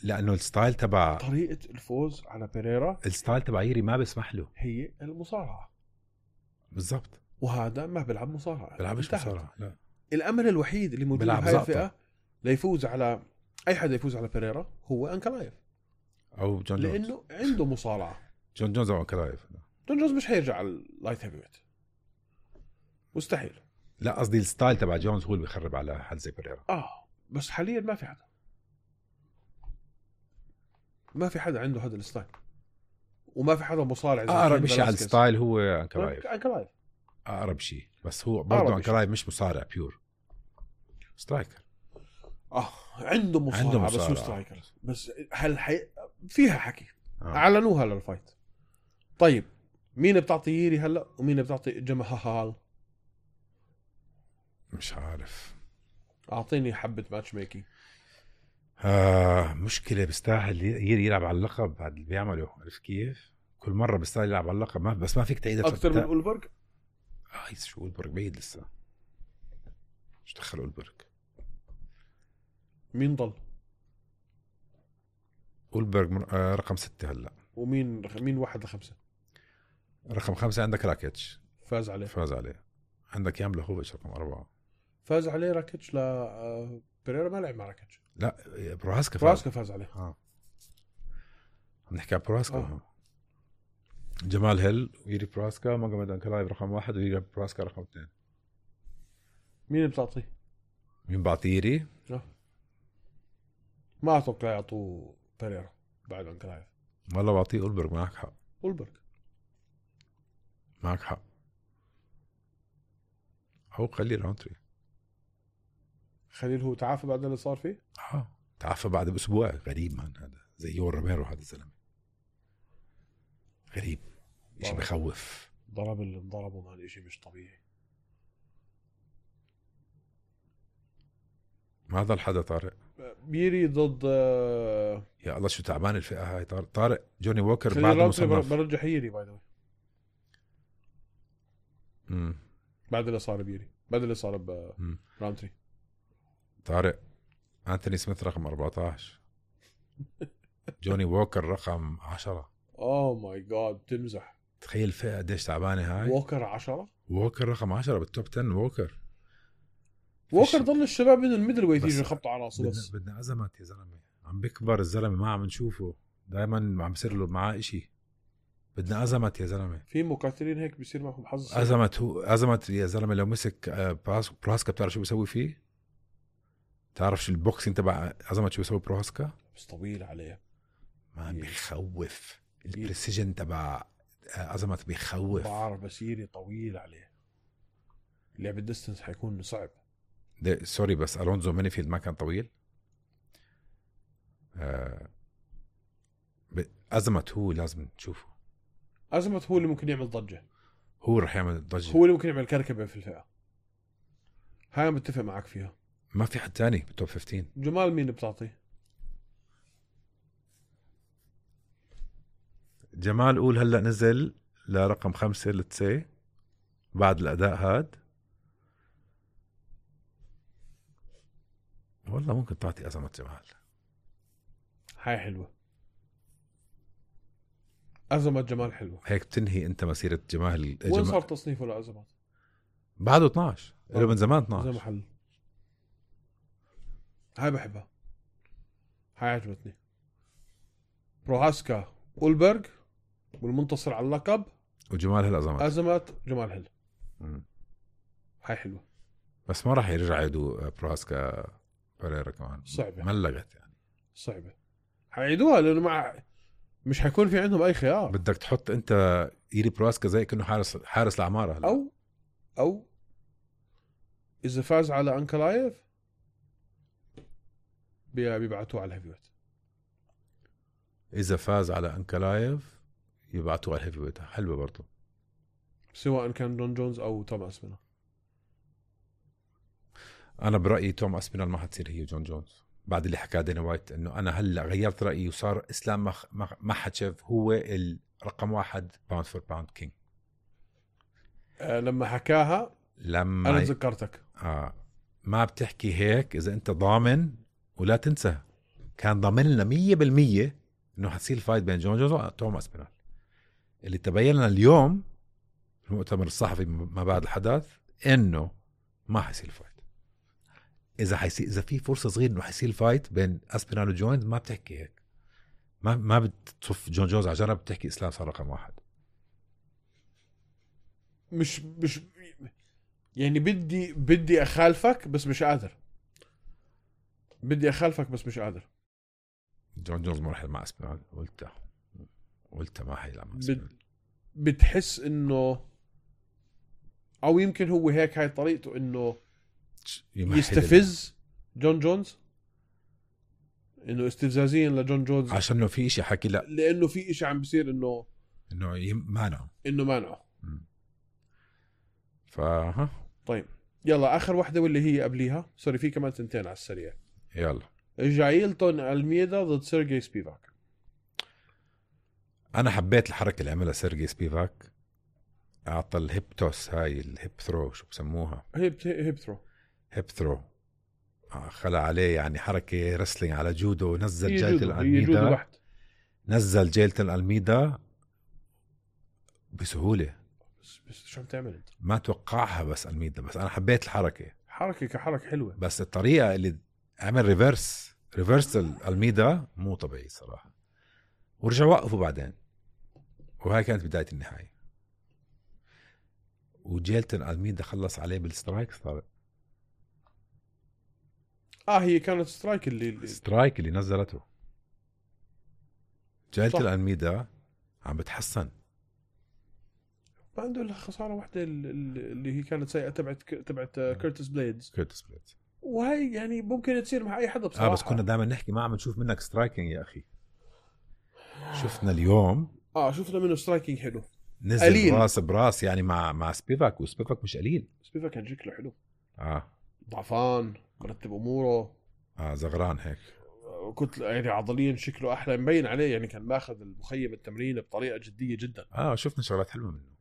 لأنه الستايل تبع طريقة الفوز على بيريرا، الستايل تبع ييري ما بيسمح له. هي المصارعة بالضبط. وهذا ما بيلعب مصارعة، بيلعبش مصارعة. لا. الأمل الوحيد اللي موجود بهاي الفئة ليفوز على أي حدا يفوز على بيريرا هو أنكلايف أو جون جونز، لأنه عنده مصارعة. جون جونز أو أنكلايف. جون جونز مش هيرجع على اللايت هيفي ويت، مستحيل. لا قصدي الستايل تبع جونز هو اللي بيخرب على حد زي بيريرا. بس حاليا ما في حدا، ما في حدا عنده هذا الستايل، وما في حدا مصارع اقرب شيء على الستايل هو انكلايف. اقرب شيء، بس هو برضه انكلايف مش مصارع بيور، سترايكر. عنده مصارع بس هو سترايكر. بس هل فيها حكي اعلنوها للفايت. طيب مين بتعطي ييري هلا ومين بتعطي جمهال؟ مش عارف. اعطيني حبة ماتش ميكينج. مشكلة. بيستاهل ييري يلعب على اللقب بعد اللي بيعمله. عارف كيف؟ كل مرة بيستاهل يلعب على اللقب. بس ما فيك تعيد أكثر من أولبرغ. شو أولبرغ بعيد لسه. مش دخل أولبرغ. مين ضل؟ أولبرغ رقم 6 هلا. مين 1 ل5؟ رقم 5 عندك راكيتش، فاز عليه. عندك يام لهوفيتش رقم 4 فاز عليه. راكيتش لا بيريرا ما لعب مع راكيتش. لا بروهاسكا فاز عليه. نحكي عن بروهاسكا. جمال هيل ويري بروهاسكا، ماجوميد أنكلايف رقم 1 ويري بروهاسكا رقم 2. مين بتعطيه؟ مين بعطي ييري؟ ما أتوقع يعطوه بيريرا بعد أنكلايف. والله بعطيه أولبرغ. معك حق. معك حق. هو خليل رونتري. خليل هو تعافى بعد اللي صار فيه؟ تعافى بعد بأسبوع. غريب من هذا، زي يور روميرو. هذا الزلمة غريب، إشي بخوف. ضرب اللي انضربه ما إشي مش طبيعي. ماذا الحدا طارق؟ بيري ضد يا الله شو تعبان الفئة هاي. طارق جوني ووكر بعد مصنف. برجح ييري باي ذا واي. بعد اللي صار بيري، بعد اللي صار برانتري. طارق أنتوني سميث رقم 14 جوني ووكر رقم 10. اوه ماي جاد تمزح. تخيل الفئة قديش تعبانة هاي. ووكر 10. ووكر رقم 10 بالتوب 10. ووكر ضل الشباب من الميدل ويت بس يجي يخبطوا على راسه بس. بدنا أزمات يا زلمة، عم بيكبر الزلمة ما عم نشوفه، دائما عم بصير له معاه إشي. بدنا أزمات يا زلمة. في مقاتلين هيك بيصير معهم حظ. أزمات يا زلمة. لو مسك بروهاسكا بتعرف شو بيسوي فيه؟ تعرف شو البوكسين تبع أزمات شو بيسوي بروهاسكا؟ بس طويل عليه، ما بيخوف. البريسيجن تبع أزمات بيخوف. بعرف بس يري طويل عليه. لعب الديستنس حيكون صعب. سوري بس ألونزو مانيفيلد ما كان طويل. أزمت هو لازم نشوفه. أزمت هو اللي ممكن يعمل ضجة. هو رح يعمل ضجة. هو اللي ممكن يعمل كركبة في الفئة. هاي متفق معك فيها. ما في حد تاني بالتوب 15. جمال مين بتعطيه؟ جمال قول هلأ نزل لرقم 5 لتسي بعد الأداء هاد. والله ممكن تعطي أزمة جمال. هاي حلوة. أزمة جمال حلوة. هيك بتنهي أنت مسيرة جمال. وين صار تصنيفه لأزمات؟ بعده 12. له من زمان 12. زي محل. هاي بحبها. هاي عجبتني. بروهاسكا أولبرغ والمنتصر على اللقب وجمال هالأزمات. أزمات جمال هل. هاي حلوة. بس ما راح يرجع يدو بروهاسكا بريرا كمان. صعبة. ملقت يعني. صعبة. حيعيدوها لأنه مش حيكون في عندهم أي خيار. بدك تحط أنت يري بروهاسكا زي كأنه حارس العمارة هلا. أو إذا فاز على أنكلايف بيبعتوه على الهيفيويت. إذا فاز على أنكلايف يبعتوه على الهيفيويت. حلوة برضو. سواء كان جون جونز أو توم أسبينال. أنا برأيي توم أسبينال ما حتصير هي جون جونز بعد اللي حكاه دينا وايت. إنه أنا هلأ غيرت رأيي وصار إسلام مخاتشيف هو الرقم 1 باوند فور باوند كينج. لما حكاها لما أنا تذكرتك. ما بتحكي هيك إذا أنت ضامن. ولا تنسى كان ضامن لنا 100% إنه حتصير الفايت بين جون جونز وتوم أسبينال. اللي تبين لنا اليوم في المؤتمر الصحفي ما بعد الحدث إنه ما حيصير الفايت. إذا في فرصة صغيرة إنه حيصير الفايت بين أسبينال وجونز ما بتحكي هيك. ما بتصف جون جونز على جنب بتحكي إسلام صار رقم 1. مش يعني بدي أخالفك بس مش قادر. بدي أخالفك بس مش قادر. جون جونز ما راح مع أسبينال. قلت ما حيلعب مع أسبينال. بتحس إنه أو يمكن هو هيك هاي طريقته إنه يستفز جون جونز. إنه استفزازيا لجون جونز عشان إنه في إشي حكي لا. لأنه في إشي عم بيصير إنه مانعه. فها. طيب يلا آخر واحدة واللي هي قبليها. سوري في كمان تنتين على السريع. يلا. جايلتون ألميدا ضد سيرجي سبيفاك. أنا حبيت الحركة اللي عملها سيرجي سبيفاك. أعطى الهيب توس هاي الهيب ثرو شو بسموها. هيب ثرو. خلى عليه يعني حركة رسلينج على جودو. نزل جايلتون ألميدا. نزل جايلتون ألميدا بسهولة. بس شو عم تعمل انت؟ ما توقعها بس ألميدا. بس أنا حبيت الحركة. حركة كحركة حلوة. بس الطريقة اللي عمل ريفرس ألميدا مو طبيعي صراحة. ورجع وقفوا بعدين. وهاي كانت بداية النهاية. وجيلتون ألميدا خلص عليه بالسترايك. صار هي كانت سترايك اللي نزلته. جيلتون ألميدا عم بتحسن. ما عنده إلا خسارة واحدة اللي هي كانت سيئة تبعت كيرتس بليدز. وهي يعني ممكن تصير مع أي حدا بصراحة. بس كنا دائما نحكي ما عم نشوف منك سترايكينج يا أخي. شفنا اليوم. شفنا منه سترايكينج حلو. نزل قليل. راس براس يعني مع سبيفاك. وسبيفاك مش قليل. سبيفاك كان شكله حلو. ضعفان مرتب أموره. زغران هيك. كنت يعني عضليا شكله أحلى مبين عليه. يعني كان ماخذ المخيم التمرين بطريقة جدية جدا. شفنا شغلات حلوة منه.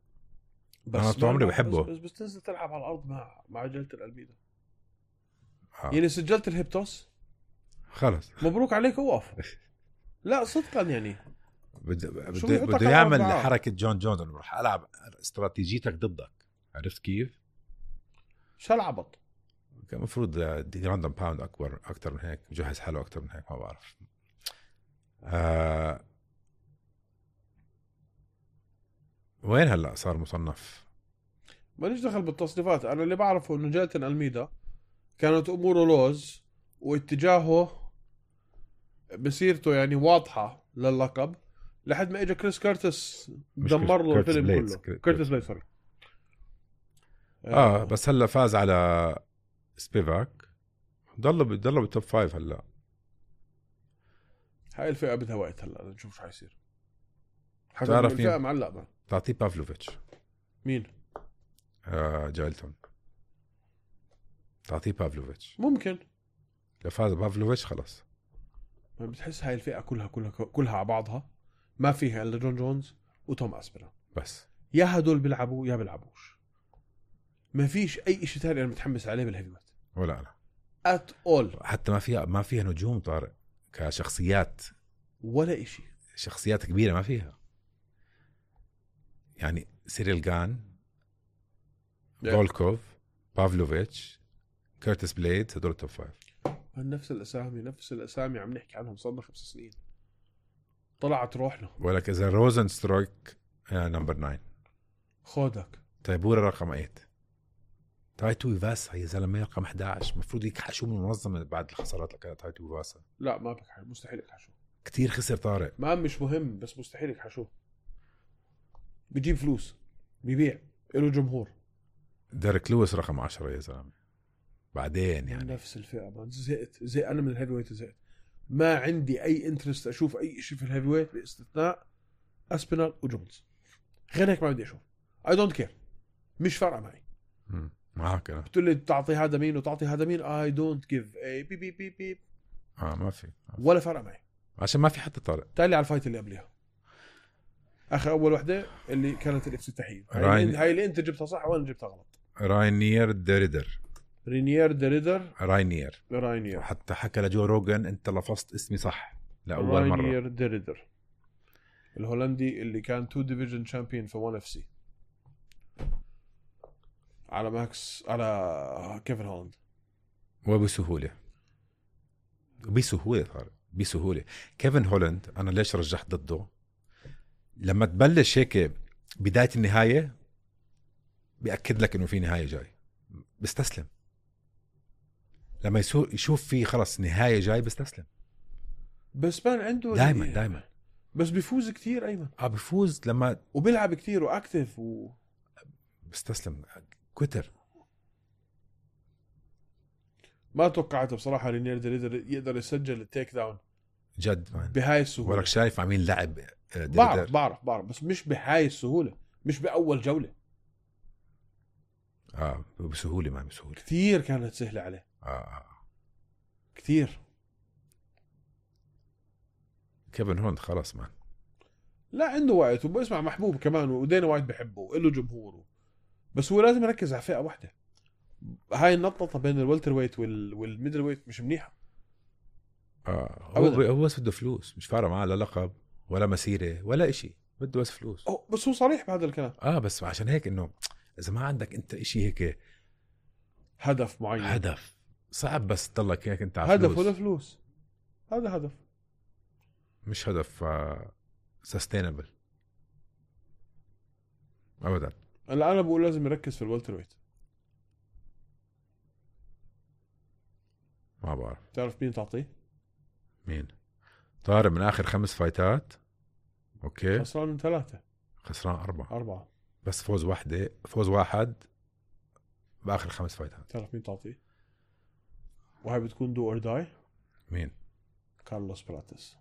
بس أنا طول عمري بحبه. بس تنزل تلعب على الأرض مع جلت الألميدا. يعني سجلت الهيبتوس. خلص مبروك عليك. وقف. لا صدقا يعني شو بده بيحطك يعمل على حركة جون جونز انه رح العب استراتيجيتك ضدك. عرفت كيف؟ شو العبط؟ كان المفروض راندم باوند اكثر من هيك، يجهز حاله اكثر من هيك، ما بعرف. وين هلا صار مصنف؟ ماليش دخل بالتصنيفات. انا اللي بعرفه انه جيلتن ألميدا كانت اموره لوز واتجاهه بسيرته يعني واضحة للقب لحد ما اجى كريس كيرتس دمر له كيرتس الفيلم بليدز. كله. كيرتس بليد سوري. بس هلا فاز على سبيفاك، ضل بالتوب 5 هلا. هاي الفئة بدها وقت هلا نشوف شو حيصير. تعرف الفئة مين؟ معلق بقى. تعطيه بافلوفيتش. مين؟ جايلتون. تعطيه بافلوفيتش. ممكن. لو فاز بافلوفيتش خلص. ما بتحس هاي الفئة كلها على بعضها ما فيها الا جون جونز وتوم اسبرا بس. يا هدول بيلعبوا يا بيلعبوش. ما فيش اي شيء ثاني انا متحمس عليه بالهيفي ويت ولا أنا. ات اول. حتى ما فيها نجوم طارق كشخصيات، ولا شيء. شخصيات كبيرة ما فيها. يعني سيريل جان، فولكوف، بافلوفيتش، كيرتس بليد، هدول التوب 5. نفس الاسامي عم نحكي عنهم صار 5 سنين. طلعت روحنا. ولك إذا روزن سترويك نمبر 9، خودك تايبورا رقم 8، تايتو إيفاسا يا زلمة رقم 11. مفروض يكحشوا من المنظمة بعد الخسارات اللي كانت تايتو إيفاسا. لا ما بك مستحيل يكحشوا. كتير خسر طارق. ما مش مهم بس مستحيل يكحشوا. بيجيب فلوس بيبيع له جمهور. ديريك لويس رقم 10 يا زلمة. بعدين يعني نفس الفئة ما زهقت انا من الهيفي ويت زهقت. ما عندي اي انترست اشوف اي شيء في الهيفي ويت باستثناء اسبينال وجونز. غير هيك ما بدي اشوف. اي دونت كير. مش فارقه معي. معك أنا. قلت لي تعطي هذا مين وتعطي هذا مين. اي دونت جيف اي بي بي بي بي ما في ولا فرق معي عشان ما في حتى طارق. تالي على الفايت اللي قبلها اخر اول وحده اللي كانت الافتتاحيه. هاي اللي انت جبتها صح وانا جبتها غلط. راينير ديريدر. رينير ديريدر. راينير. حتى حكى لجو روجن انت لفظت اسمي صح لاول مره. راينير ديريدر الهولندي اللي كان 2 ديفيجن شامبيون في 1 FC على ماكس على كيفن هولاند. وبسهوله طارق بسهوله. كيفن هولاند انا ليش رجحت ضده؟ لما تبلش هيك بدايه النهايه بيأكد لك انه في نهايه جاي، بيستسلم. لما يشوف في خلص نهايه جاي بيستسلم. بس مان عنده دائما بس بيفوز كتير ايمن. بيفوز لما وبيلعب كتير واكتف بيستسلم كوتر. ما توقعت بصراحه رينير ديريدر يقدر يسجل التيك داون جد مان بهاي السهوله. ولك شايف عمين لعب بعرف بس مش بهاي السهوله. مش باول جوله. بسهوله ما بسهوله كثير كانت سهله عليه. كثير. كيفن هوند خلاص مان. لا عنده وقت وبسمع محبوب كمان ودينا وايد بحبه وله جمهوره. بس هو لازم يركز على فئه واحده. هاي النططه بين الوالتر ويت والميدل ويت مش منيحه. هو بس بده فلوس. مش فارق معه لا لقب ولا مسيره ولا إشي. بده بس فلوس. بس هو صريح بهذا الكلام. بس عشان هيك انه اذا ما عندك انت إشي هيك هدف معين. هدف صعب بس تضلك هيك انت على هدف ولا فلوس. هذا هدف مش هدف sustainable ابدا. انا بقول لازم يركز في الوالتر ويت. ما بعرف. تعرف مين تعطيه؟ مين؟ طارق من اخر 5 فايتات اوكي خسران من 3. خسران 4 بس فوز واحد باخر 5 فايتات. تعرف مين تعطيه؟ وهي بتكون دو اور داي. مين؟ كارلوس براتس.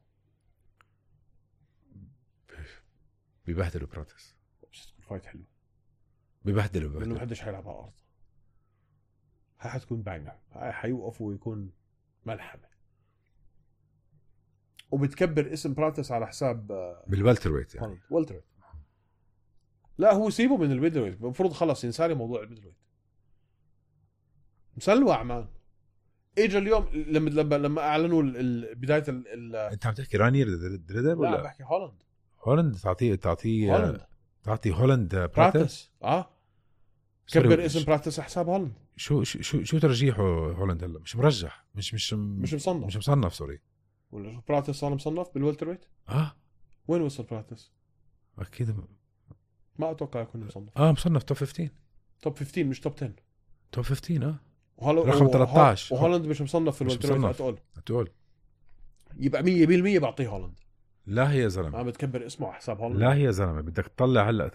بيبهدلوا براتس. بس تكون فايت حلو. بيبهدلوا لانه محدش حيلعب على الارض. هاي حتكون بانجر. هاي حيوقف ويكون ملحمه. وبتكبر اسم براتس على حساب بالوالتر ويت يعني. والتر ويت. لا هو سيبه من الميدل ويت. المفروض خلص ينسالي موضوع الميدل ويت. مسلوع مان. اجى اليوم لما اعلنوا بدايه انت عم تحكي رانير دريدر ولا؟ لا بحكي هولاند. هولند تعطي هولند براتس. براتس سوري، كبر اسم براتس حساب هولند. شو ترجيحه هولند هلا؟ مش مرجح، مش مصنف. مش مصنف. سوري، ولا براتس صار مصنف بالوالتر ويت؟ وين وصل براتس؟ اكيد ما اتوقع يكون مصنف. مصنف توب 15. توب 15 مش توب 10. توب 15 وهلا رقم 13. وهولند مش مصنف في مش الوالتر ويت مصنف. اتقول. يبقى 100% بعطيه هولند. لا هي زلمه، ما بتكبر اسمه على حساب هولند. لا هي زلمه، بدك تطلع هلا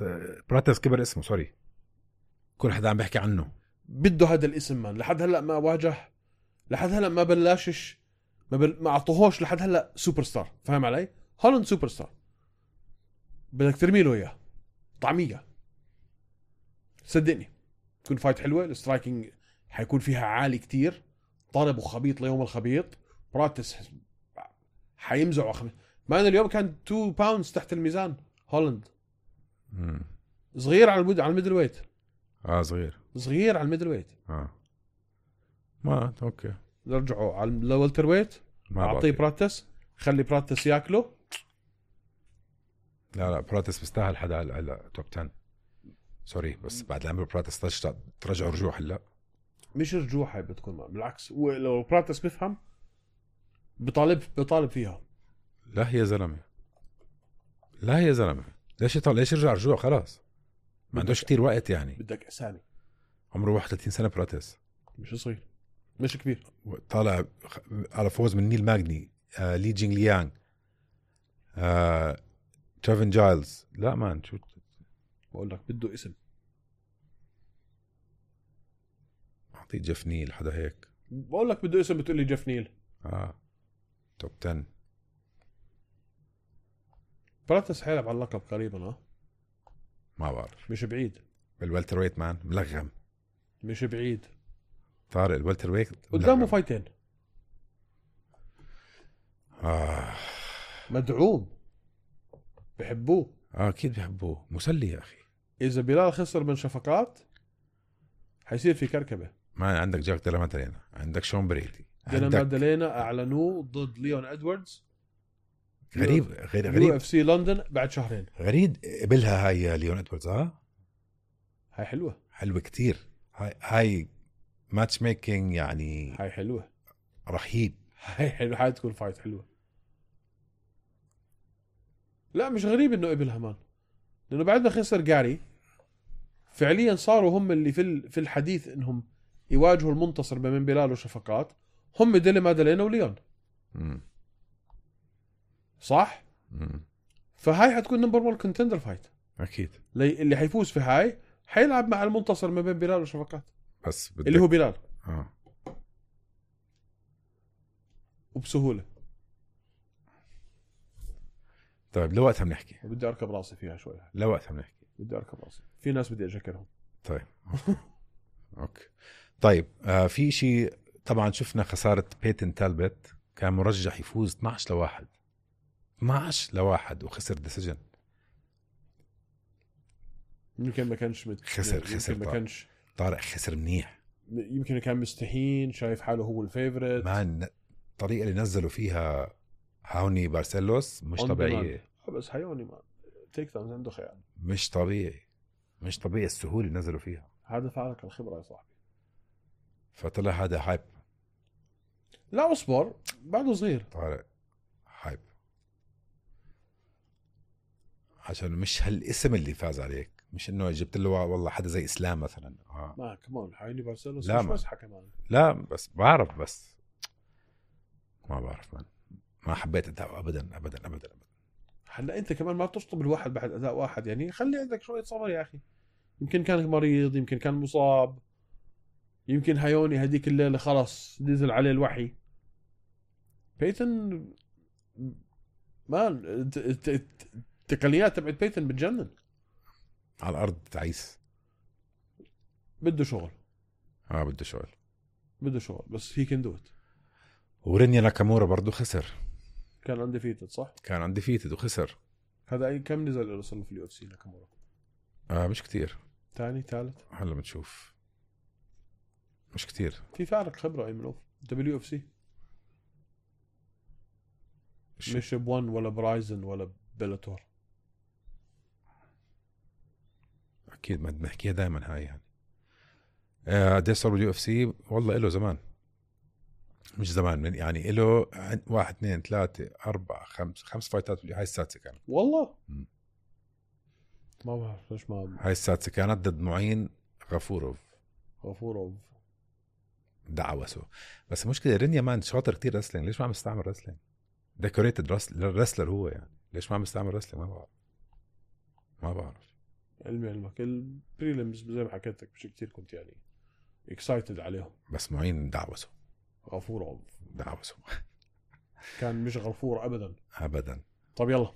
براتس كبر اسمه. سوري، كل حدا عم بيحكي عنه. بده هذا الاسم مان. لحد هلا ما واجه، لحد هلا ما بلاشش، ما اعطوهوش لحد هلا سوبر ستار. فاهم علي؟ هولند سوبر ستار، بدك ترمي له اياه طعميه. صدقني تكون فايت حلوه. السترايكينج حيكون فيها عالي كتير، طالب وخبيط ليوم الخبيط. براتس حيمزعوا ما أنا اليوم كان 2 باوندز تحت الميزان. هولند صغير على الميدل ويت. صغير على الميدل ويت. ما اوكي، نرجعوا على الوالتر ويت. اعطيه براتس، خلي براتس ياكله. لا براتس بيستاهل حدا هلا توب 10. سوري بس بعد العمر براتس ترجع رجوع. هلا مش رجوع، هاي بتكون بالعكس. ولو براتس بفهم بطالب فيها. لا هي زلمه، ليش يرجع رجوع؟ خلاص ما عندوش كتير وقت يعني. بدك اسامي. عمره 31 سنه براتس، مش صغير مش كبير. طالع على فوز من نيل ماغني، لي جينغ ليانغ، تريفن جايلز. لا مان شو بقول لك بده اسم. اعطيه جيف نيل حدا هيك. بقول لك بده اسم، بتقول لي جيف نيل. توب 10. براتس حيلعب على اللقب قريبا. ما بعرف، مش بعيد. بالوالتر ويت مان ملغم. مش بعيد طارق الوالتر ويت قدامه فايتين. مدعوم، بحبوه. اكيد بحبوه، مسلي يا اخي. اذا بلال خسر من شفقات حيصير في كركبه. ما عندك جاك ديلا مادالينا، عندك شون بريدي، ديلا مادالينا اعلنوه ضد ليون ادواردز. غريب UFC لندن بعد شهرين. غريب قبلها هاي ليون ادواردز. هاي حلوه كتير. هاي ماتش ميكينج يعني. هاي حلوه رهيب. هاي حلوه، هاي تكون فايت حلوه. لا مش غريب انه قبلها مان، لانه بعد ما خسر جاري فعليا صاروا هم اللي في الحديث انهم يواجهوا المنتصر بين بلال وشفقات. هم ديلا مادالينا وليون. صح. فهاي حتكون نمبر 1 كونتندر فايت اكيد. اللي حيفوز في هاي حيلعب مع المنتصر ما بين بلال وشفقات، بس اللي هو بلال. وبسهوله. طيب لوقتها بنحكي. بدي اركب راسي فيها شوي. لوقتها بنحكي. بدي اركب راسي في ناس بدي اذكرهم. طيب اوكي. طيب في شيء طبعا شفنا خسارة بيتن تالبت، كان مرجح يفوز 12-1 وخسر ديسيجن. يمكن ما كانش خسر ما كانش طارق خسر منيح. يمكن كان مستهين، شايف حاله هو الفيفوريت. ما الطريقة اللي نزلوا فيها هاوني بارسيلوس مش طبيعية. بس هاوني ما تيك داون عنده خيال. مش طبيعي السهولة اللي نزلوا فيها. هذا فعلك الخبرة يا صاحبي. فطلع هذا هايب. لا اصبر بعده صغير. طارق هايب عشان مش هالاسم اللي فاز عليك، مش انه جبت له والله حدا زي اسلام مثلا. ما كمان هاوني بارسيلوس مش مسحة كمان. لا بس بعرف، بس ما بعرف ما حبيت اداء ابدا. هلا انت كمان ما تشطب الواحد بعد اداء واحد، يعني خلي عندك شويه صبر يا اخي. يمكن كان مريض، يمكن كان مصاب، يمكن هايوني هديك الليله خلص نزل عليه الوحي. بيتن مان التقنيات تبعت بيتن بتجنن على الارض تعيس. بده شغل. بده شغل بس هي كان دوت. ورينيا ناكامورا برضو خسر. كان انديفيتد صح؟ كان انديفيتد وخسر. هذا اي كم نزل له صار في اليو اف سي ناكامورا؟ مش كتير. ثاني ثالث هلا بنشوف. مش كتير. في فارق خبره اي منوف دبليو اف سي. مش ب1 ولا برايزن ولا بيلاتور. اكيد ما بنحكيها دائما هاي يعني. قديش صار باليو اف سي؟ والله له زمان، مش زمان، من يعني له 1 2 3 4 5 فايتات. هاي السادسه كانت والله. ما بعرف ليش ما. هاي السادسه كانت ضد معين غفورov. دعوسه. بس المشكله رينيا مان شاطر كتير رسلينج، ليش ما عم يستعمل رسلينج؟ ديكوريتد رسلر هو يعني، ليش ما عم يستعمل رسلينج؟ ما بعرف. علمك البريلمز زي ما حكيت لك مش كتير كنت يعني اكسايتد عليهم. بس معين دعوسه. غفورov دعوسه كان مش غفور ابدا. طب يلا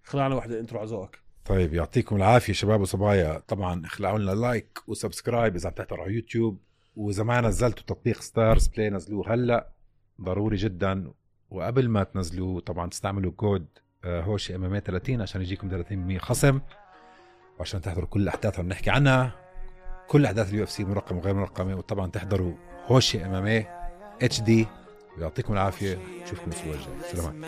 خلعنا واحدة انترو على ذوقك. طيب يعطيكم العافيه شباب وصبايا. طبعا اخلعوا لنا لايك وسبسكرايب اذا عم تحضروا على يوتيوب، واذا ما نزلتوا تطبيق ستارز بلاي نزلوه هلا ضروري جدا. وقبل ما تنزلوه طبعا تستعملوا كود هوشي MMA 30 عشان يجيكم 30% خصم، وعشان تحضروا كل الاحداث اللي بنحكي عنها، كل احداث اليو اف سي مرقمه وغير مرقمه. وطبعا تحضروا هوشي MMA HD. ويعطيكم العافيه، نشوفكم الاسبوع الجاي. سلام.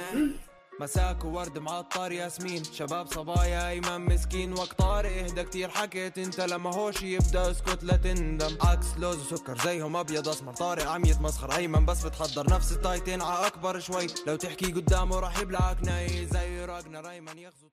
مساك وورد معطر ياسمين، شباب صبايا ايمن مسكين، وقت طارق اهدى كتير حكيت انت، لما هوشي يبدا اسكت لا تندم، عكس لوز وسكر زيهم ابيض اسمر، طارق عم يتمسخر ايمن بس بتحضر نفس التايتين ع اكبر شوي، لو تحكي قدامه راح يبلعك ناي زي راجنا ايمن يغزو.